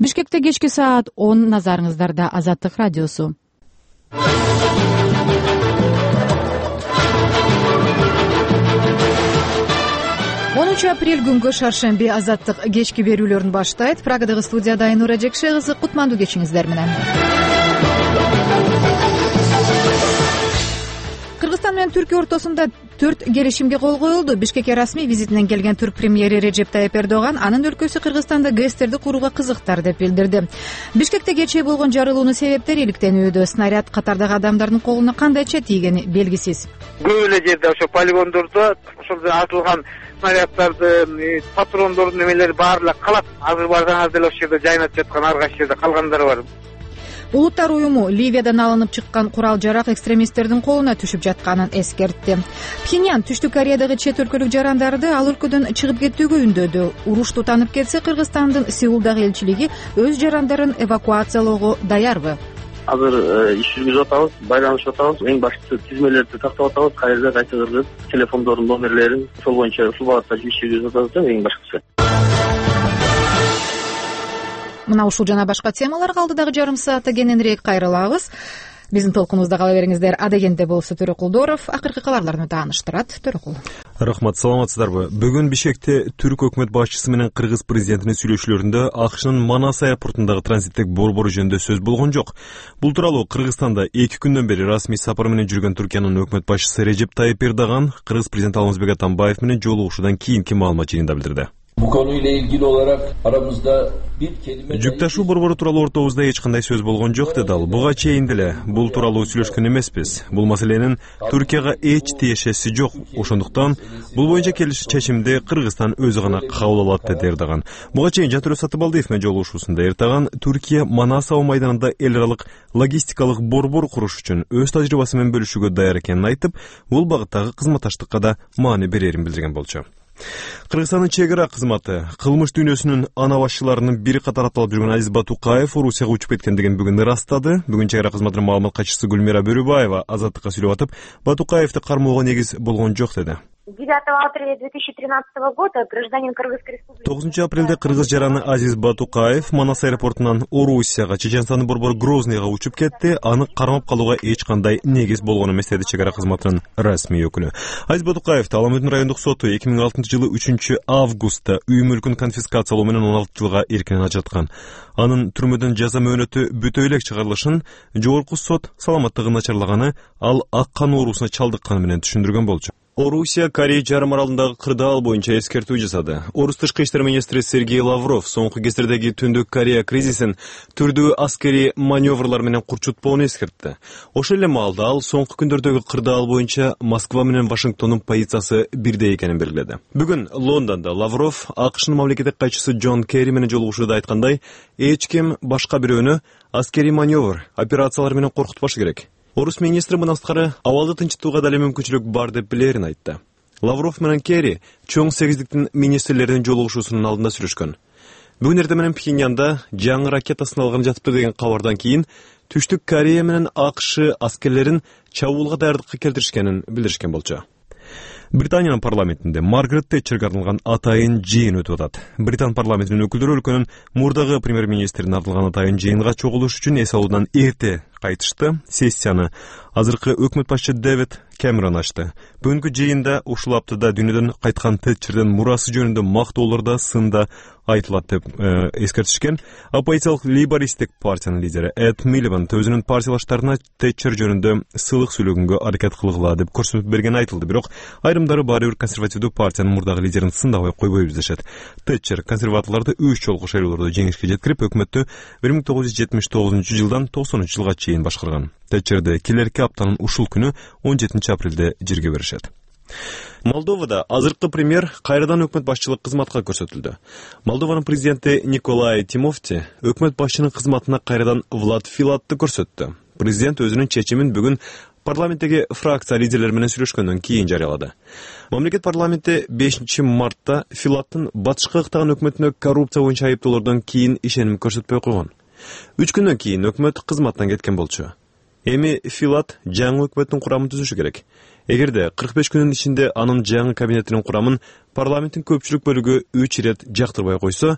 Бишкекте кечки саат 10 назарыңыздарда Азаттык радиосу. 10 апрель күнгө шаршемби Азаттык кечки берүүлөрүн баштайт. Прагадагы студияда Айнура Жекше кызы, кутмандуу кечиңиздер менен. Кыргызстан менен Түркия ортосунда 4 келишимге кол коюлду. Бишкекке расмий визитинен келген түрк премьери Режеп Тайып Эрдоган анын өлкөсү Кыргызстанда ГЭСтерди курууга кызыктар деп билдирди. Бишкекте кечээ болгон жарылуунун себептери иликтенүүдө. Снаряд катардагы адамдардын колуна кандайча тийгени белгисиз. Көп эле жерде ошо полигондордо ошол атылган снаряддарды, патрондордун немелери баары эле калат. Азыр барсаңар деле ошол жерде жайнап жаткан, ар кайсы жерде калгандары бар. Улуттар уюму Ливиядан алынып чыккан курал-жарак экстремисттердин колуна түшүп жатканын эскертти. Пхеньян Түштүк Кореядагы чет өлкөлүк жарандарды ал өлкөдөн чыгып кетүүгө үндөдү. Уруш тутанып кетсе, Кыргызстандын Сеулдагы элчилиги өз жарандарын эвакуациялоого даярбы? Азыр иш жүргүзүп атабыз, байланышып атабыз. Эң башкысы тизмелерди тактап атабыз. Кайерде кайсы кыргыз телефондордун номерлерин ошол боюнча ушул багытта иш жүргүзүп атабыз. Эң башкысы. Мына ушул жана башка темаларга алдыдагы жарым саатта кененирээк кайрылабыз. Биздин толкунубузда кала бериңиздер. Адегенде болсо Төрөкулдоров акыркы кабарларды тааныштырат. Төрөкул. Рахмат, саламатсыздарбы? Бүгүн Бишкекте түрк өкмөт башчысы менен кыргыз президентинин сүйлөшүүлөрүндө АКШнын Манас аэропортундагы транзиттик борбору жөнүндө сөз болгон жок. Бул тууралуу Кыргызстанда 2 күндөн бери расмий сапар менен жүргөн Түркиянын өкмөт башчысы Режеп Тайып Эрдоган кыргыз президенти Алмазбек Атамбаев менен жолугушуудан кийинки маалымат жыйынында билдирди. Bu konuyla ilgili olarak aramızda bir kelime... Жүк ташуу борбору тууралуу ортобузда эч кандай сөз болгон жок, деди ал. Буга чейин деле бул тууралуу сүйлөшкөн эмеспиз. Бул маселенин Түркияга эч тиешеси жок. Ошондуктан бул боюнча чечимди Кыргызстан өзү гана кабыл алат, деди Эрдоган. Буга чейин Жантөрө Сатыбалдиев менен жолугушуусунда Эрдоган Түркия Манас аба майданында эл аралык логистикалык борбор куруш үчүн өз тажрыйбасы менен бөлүшүүгө даяр экенин айтып, бул багыттагы кызматташтыкка да маани берерин билдирген болчу. Кыргызстандын чек ара кызматы кылмыш дүйнөсүнүн ана башчыларынын бири катары аталып жүргөн Азиз Батукаев Орусияга учуп кеткендигин бүгүн ырастады. Бүгүн чек ара кызматынын маалымат катчысы Гүлмира Бөрүбаева Азаттыкка сүйлөп атып, Батукаевди кармоого негиз болгон жок, деди. 9 апреля 2013 года гражданин Кыргызской республики 9 апрелде кыргыз жараны Азиз Батукаев Манас аэропортунан Орусияга, Чеченстандын борбору Грозныйга учуп кетти. Аны кармап калууга эч кандай негиз болгон эмес, деди чек ара кызматынын расмий өкүлү. Азиз Батукаевди Ала Мөдүн райондук соту 2006 жылы 3 августта үй мүлкүн конфискациялоо менен 16 жылга эркинен ажыраткан. Анын түрмөдөн жаза мөөнөтү бүтө элек чыгарылышын жогорку сот саламаттыгы начарлаганы, ал ак кан оорусуна чалдыкканы менен түшүндүргөн болчу. Орусия Корея жарым аралындагы кырдаал боюнча эскертүү жасады. Орус тышкы иштер министри Сергей Лавров соңку кездердеги Түндүк Корея кризисин түрдүү аскери маневрлар менен курчутпоону эскертти. Ошол эле маалда ал соңку күндөрдөгү кырдаал боюнча Москва менен Вашингтондун позициясы бирдей экенин белгиледи. Бүгүн Лондондо Лавров АКШнын мамлекеттик катчысы Джон Керри менен жолугушууда айткандай, эч ким башка бирөөнү аскери маневр операциялар менен коркутпашы керек. Орус министри мындан сырткары абалды тынчытууга дале мүмкүнчүлүк бар деп билерин айтты. Лавров менен Керри чоң сегиздиктин министрлеринин жолугушуусунун алдында сүйлөшкөн. Бүгүн эртең менен Пхеньянда жаңы ракета сыналганы жатыптыр деген кабардан кийин Түштүк Корея менен АКШ аскерлерин чабуулга даярдыкка келтиришкенин билдиришкен болчу. Британиянын парламентинде Маргарет Тэтчерге арналган атайын жыйын өтүп атат. Британ парламентинин өкүлдөрү өлкөнүн мурдагы премьер-министрине арналган атайын жыйынга чогулуш үчүн эс алуудан эрте кайтышты. Сессияны азыркы өкмөт башчы Дэвид Кэмерон ачты. Бүгүнкү жыйында ушул аптада дүйнөдөн кайткан Тэтчердин мурасы жөнүндө мактоолор да сында айтылат деп эскертишкен. Оппозициялык лейбористтик партиянын лидери Эд Милибанд өзүнүн партиялаштарына Тэтчер жөнүндө сылык сүйлөгөнгө аракет кылгыла деп көрсөтүп берген айтылды. Бирок айрымдары баары бир консервативдүү партиянын мурдагы лидерин сындабай койбойбуз дешет. Тэтчер консерваторлорду 3 жолку шайлоодо жеңишке жеткирип, өкмөттү 1979 жылдан 90 жылга чейин башкарган. Тэтчерди келерки аптанын ушул күнү 17 апрелде жерге беришет. Молдовада азыркы премьер кайрадан өкмөт башчылык кызматка көрсөтүлдү. Молдованын президенти Николай Тимофти өкмөт башчынын кызматына кайрадан Влад Филатты көрсөттү. Президент өзүнүн чечимин бүгүн парламенттеги фракция лидерлери менен сүйлөшкөндөн кийин жарыялады. Мамлекет парламенти 5 мартта Филаттын батышка ыктаган өкмөтүнө коррупция боюнча айыптоолордон кийин ишеним көрсөтпөй койгон. 3 күндөн кийин өкмөт кызматтан кеткен болчу. Эми Филат жаңы өкмөттүн курамын түзүшү керек. Эгерде 45 күнүн ичинде анын жаңы кабинетинин курамын парламенттин көпчүлүк бөлүгү 3 ирет жактырбай койсо,